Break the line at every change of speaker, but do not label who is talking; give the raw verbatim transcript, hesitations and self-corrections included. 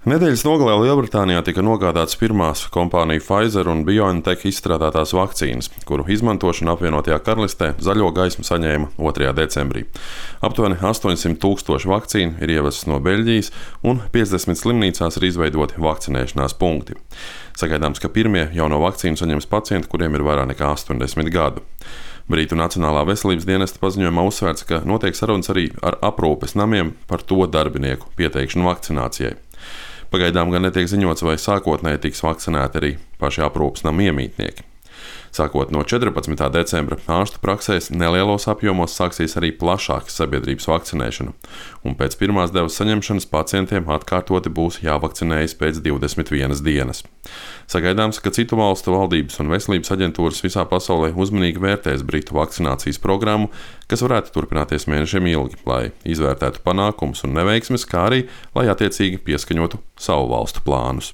Nedēļas nogalē Lielbritānijā tika nogādātas pirmās kompāniju Pfizer un BioNTech izstrādātās vakcīnas, kuru izmantošana apvienotajā karalistē zaļo gaismu saņēma otrajā decembrī. Aptuveni astoņsimt tūkstoši vakcīnu ir ievestas no Beļģijas, un piecdesmit slimnīcās ir izveidoti vakcinēšanās punkti. Sagaidāms, ka pirmie jauno vakcīnu saņems pacienti, kuriem ir vairāk nekā astoņdesmit gadu. Brītu Nacionālā veselības dienesta paziņojumā uzsvērts, ka notiek sarunas arī ar aprūpes namiem par to darbinieku pieteikšanu vakcinācijai. Pagaidām gan netiek ziņots, vai sākotnēji tiks vakcinēti arī paši aprūpes namu iemītnieki. Sākot no četrpadsmitā decembra ārstu praksēs nelielos apjomos sāksies arī plašāka sabiedrības vakcinēšana, un pēc pirmās devas saņemšanas pacientiem atkārtoti būs jāvakcinējas pēc divdesmit vienas dienas. Sagaidāms, ka citu valstu valdības un veselības aģentūras visā pasaulē uzmanīgi vērtēs Britu vakcinācijas programmu, kas varētu turpināties mēnešiem ilgi, lai izvērtētu panākumus un neveiksmes, kā arī, lai attiecīgi pieskaņotu savu valstu plānus.